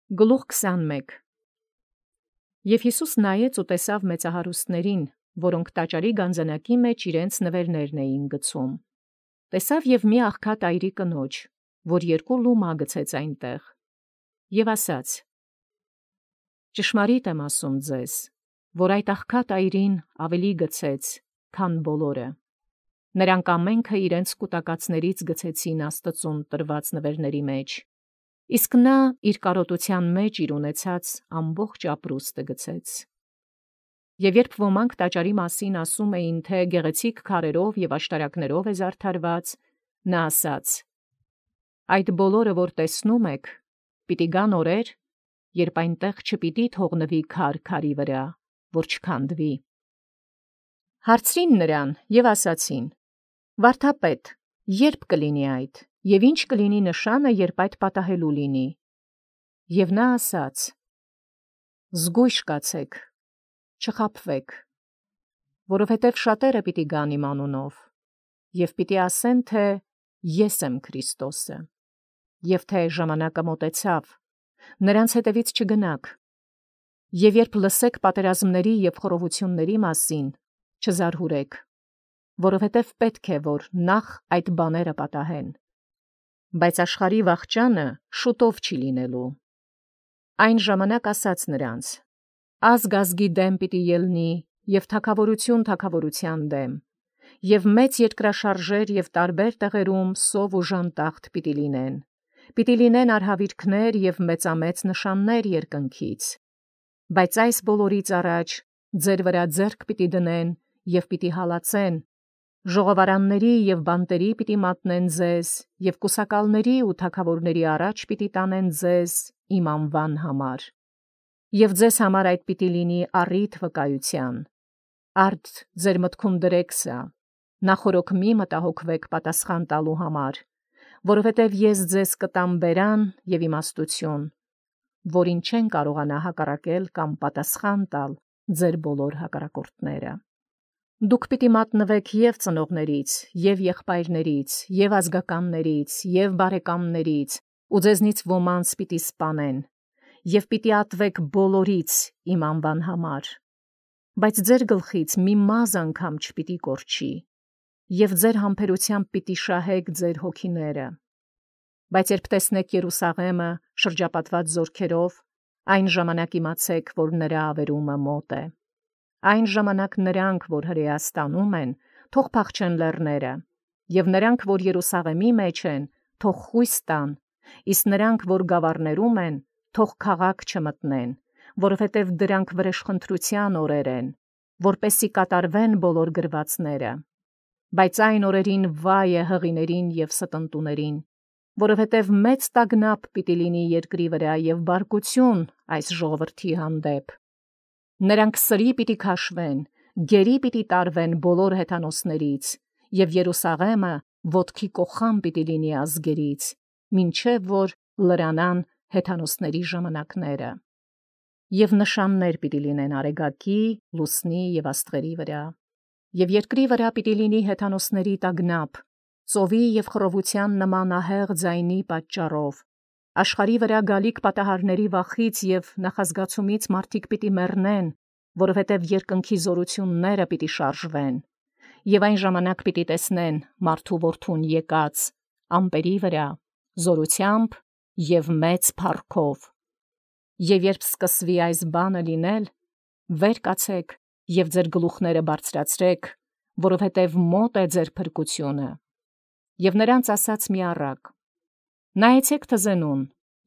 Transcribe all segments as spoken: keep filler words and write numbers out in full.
Գլուխ քսանմեկ Եւ Յիսուս նայեց ու տեսավ մեծահարուստացն, որք տաճարի գանձանակի մեջ իրենց նվերներն էին գցում. տեսավ եւ մի աղքատ այրի կնոջ, որ երկու լումա գցեց այնտեղ, եւ ասաց. ճշմարիտ եմ ասում ձեզ, որ այդ աղքատ այրին ավելի գցեց, քան բոլորը. նրանք ամենքը իրենց կուտակածներից գցեցին Աստծուն տրված նվերների մեջ, իսկ նա իր կարոտութեան մեջ իր ունեցած ամբողջ ապրուստը գցեց։ Եւ երբ ոմանք տաճարի մասին ասում էին, թե գեղեցիկ քարերով եւ աշտարակներով է զարդարված, նա ասաց. այդ բոլորը, որ տեսնում եք, պիտի գան օրեր, երբ այնտեղ չպիտի թողնվի քար քարի վրա, որ չքանդվի։ Հարցրին նրան եւ ասացին. վարդապետ, երբ կլինի այդ, եւ ինչ կլինի նշանը, երբ այդ պատահելու լինի։ Եւ նա ասաց. զգույշ կացեք, չխաբվեք, որովհետև շատերը պիտի գան իմ անունով, եւ պիտի ասեն, թե ես եմ Քրիստոսը, եւ թե ժամանակը մոտեցավ, նրանց հետևից չգնաք, եւ երբ լսեք պատերազմների եւ խռովությունների մասին, չզարհուրեք, որովհետև պետք է, որ նախ այդ բաները պատահեն, բայց աշխարհի վախճանը շուտով չի լինելու։ Այն ժամանակ ասաց նրանց. ազգ ազգի դեմ պիտի ելնի, եւ թագավորություն թագավորության դեմ, եւ մեծ երկրաշարժեր եւ տարբեր տեղերում սով ու ժանտախտ պիտի լինեն, պիտի լինեն արհավիրքներ եւ մեծամեծ նշաններ երկնքից, բայց այս բոլորից առաջ ձեր վրա ձեռք պիտի դնեն եւ պիտի հալածեն, ժողովարանների եւ բանտերի պիտի մատնեն ձեզ, եւ կուսակալների ու թագավորների առաջ պիտի տանեն ձեզ իմ անվան համար, եւ ձեզ համար այդ պիտի լինի առիթ վկայության։ Արդ ձեր մտքում դրեք սա, նախորոք մի մտահոգվեք պատասխան տալու համար, որովհետև ես ձեզ կտամ բերան եւ իմաստություն, որին չեն կարողանա հակառակել կամ պատասխան տալ ձեր բոլոր հակառակորդները։ Դուք պիտի մատնվեք եւ ծնողներից, եւ եղբայրներից, եւ ազգականներից, եւ բարեկամներից, ու ձեզնից ոմանց պիտի սպանեն, եւ պիտի ատվեք բոլորից իմ անվան համար, բայց ձեր գլխից մի մազը անգամ չպիտի կորչի, եւ ձեր համբերությամբ պիտի շահեք ձեր հոգիները։ Բայց երբ տեսնեք Երուսաղեմը շրջապատված զորքերով, այն ժամանակ իմացեք, որ նրա ավերումը մոտ է։ Այն ժամանակ նրանք, որ հրեաստանում են, թող փախչեն լեռները, եւ նրանք, որ Երուսաղեմի մեջ են, թող խույս տան, իսկ նրանք, որ գավառներում են, թող քաղաք չմտնեն, որովհետև դրանք վրեժխնդրության օրեր են, որպեսզի կատարվեն բոլոր գրվածները։ Բայց այն օրերին վայ է հղիներին եւ ստընտուներին, որովհետև մեծ տագնապ պիտի լինի երկրի վրա եւ բարկություն այս ժողովրդի հանդեպ։ Նրանք սրի պիտի քաշվեն, գերի պիտի տարվեն բոլոր հեթանոսներից, եւ Երուսաղեմը ոտքի կոխան պիտի լինի ազգերից, մինչև որ լրանան հեթանոսների ժամանակները։ Եվ նշաններ պիտի լինեն արեգակի, լուսնի եւ աստղերի վրա, եւ երկրի վրա պիտի լինի հեթանոսների տագնապ, ծովի եւ խռովության նման ահեղ ձայնի պատճառով, աշխարհի վրա գալիք պատահարների վախից եւ նախազգացումից մարդիկ պիտի մեռնեն, որովհետև երկնքի զորությունները պիտի շարժվեն, եւ այն ժամանակ պիտի տեսնեն մարդու որդուն եկած ամպերի վրա, զորությամբ եւ մեծ փառքով։ Եվ երբ սկսվի այս բանը լինել, վեր կացեք եւ ձեր գլուխները բարձրացրեք, որովհետև մոտ է ձեր փրկությունը։ Եվ նրանց ասաց մի առակ. նայեցեք թզենուն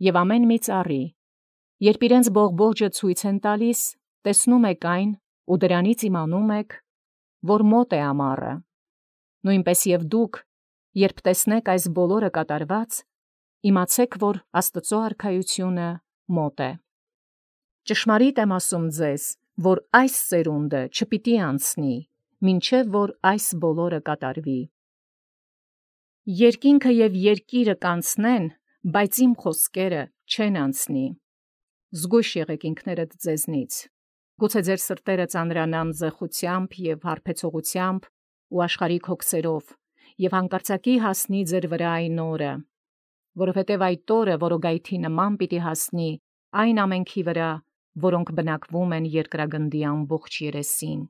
եւ ամեն մի ծառի, երբ իրենց բողբոջը ցույց են տալիս, տեսնում եք այն ու դրանից իմանում եք, որ մոտ է ամառը։ Նույնպես եւ դուք, երբ տեսնեք այս բոլորը կատարված, իմացեք, որ Աստծո արքայությունը մոտ է։ Ճշմարիտ եմ ասում ձեզ, որ այս սերունդը չպիտի անցնի, մինչև որ այս բոլորը կատարվի։ Երկինքը եւ երկիրը կանցնեն, բայց իմ խոսքերը չեն անցնի։ Զգույշ եղեք ինքներդ ձեզնից։ Գուցե ձեր սրտերը ծանրանան զեղությամբ եւ հարբեցողությամբ ու աշխարհիկ հոգսերով, եւ հանկարծակի հասնի ձեր վրա այն օրը, որովհետև այդ օրը որոգայթի նման պիտի հասնի, այն ամենքի վրա, որոնք բնակվում են երկրագնդի ամբողջ երեսին։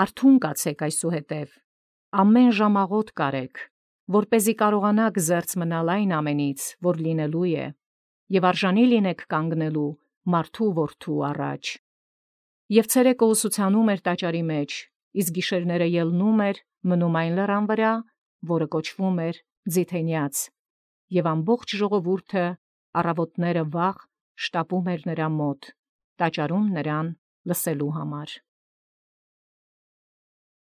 Արթուն կացեք այսուհետև, ամեն ժամաղոտ կարեք, որպեսզի կարողանաք զերծ մնալ այն ամենից, որ լինելու է, եւ արժանի լինեք կանգնելու մարդու որդու առաջ։ Եվ ցերեկը ուսուցանում էր տաճարի մեջ, իսկ գիշերները ելնում էր, մնում այն լեռան վրա, որը կոչվում էր Ձիթենյաց, եւ ամբողջ ժողովուրդը առավոտները վաղ շտապում էր նրա մոտ, տաճարում նրան լսելու համար։